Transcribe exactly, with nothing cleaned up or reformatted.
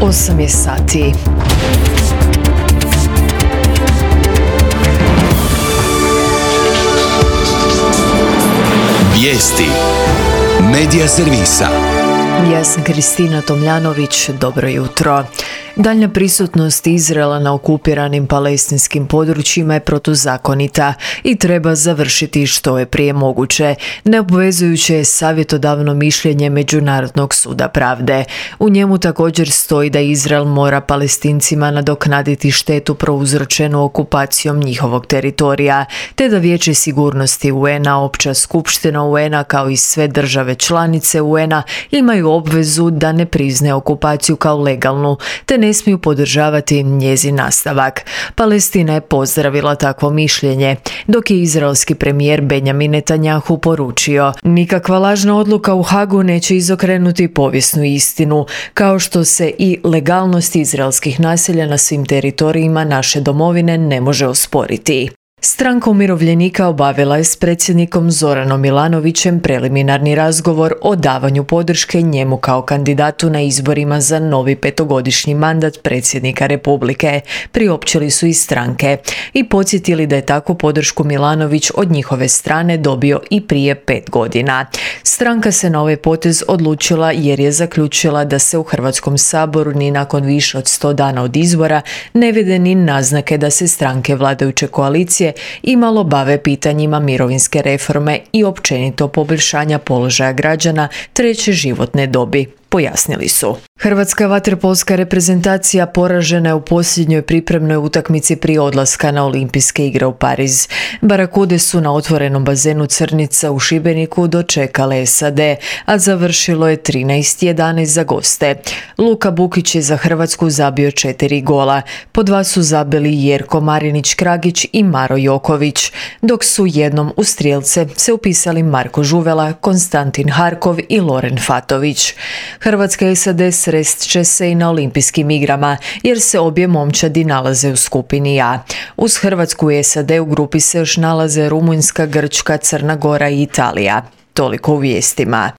osam je sati. Vijesti Medija servisa. Ja sam Kristina Tomljanović, dobro jutro. Daljnja prisutnost Izraela na okupiranim palestinskim područjima je protuzakonita i treba završiti što je prije moguće. Neobvezujuće je savjetodavno mišljenje Međunarodnog suda pravde. U njemu također stoji da Izrael mora Palestincima nadoknaditi štetu prouzročenu okupacijom njihovog teritorija, te da Vijeće sigurnosti U N-a, Opća skupština U N-a kao i sve države članice U N-a imaju obvezu da ne priznaju okupaciju kao legalnu, te ne smiju podržavati njezin nastavak. Palestina je pozdravila takvo mišljenje, dok je izraelski premijer Benjamin Netanjahu poručio: nikakva lažna odluka u Hagu neće izokrenuti povijesnu istinu, kao što se i legalnost izraelskih naselja na svim teritorijima naše domovine ne može osporiti. Stranka umirovljenika obavila je s predsjednikom Zoranom Milanovićem preliminarni razgovor o davanju podrške njemu kao kandidatu na izborima za novi petogodišnji mandat predsjednika Republike. Priopćili su iz stranke i podsjetili da je takvu podršku Milanović od njihove strane dobio i prije pet godina. Stranka se na ovaj potez odlučila jer je zaključila da se u Hrvatskom saboru ni nakon više od sto dana od izbora ne vide ni naznake da se stranke vladajuće koalicije imalo bave pitanjima mirovinske reforme i općenito poboljšanja položaja građana treće životne dobi, pojasnili su. Hrvatska vaterpolska reprezentacija poražena je u posljednjoj pripremnoj utakmici prije odlaska na Olimpijske igre u Pariz. Barakude su na otvorenom bazenu Crnica u Šibeniku dočekale S A D, a završilo je trinaest jedanaest za goste. Luka Bukić je za Hrvatsku zabio četiri gola. Po dva su zabili Jerko Marinić-Kragić i Maro Joković, dok su jednom u strijelce se upisali Marko Žuvela, Konstantin Harkov i Loren Fatović. Hrvatska i S A D srest će se i na Olimpijskim igrama, jer se obje momčadi nalaze u skupini A. Uz Hrvatsku i S A D u grupi se još nalaze Rumunjska, Grčka, Crna Gora i Italija. Toliko u vijestima.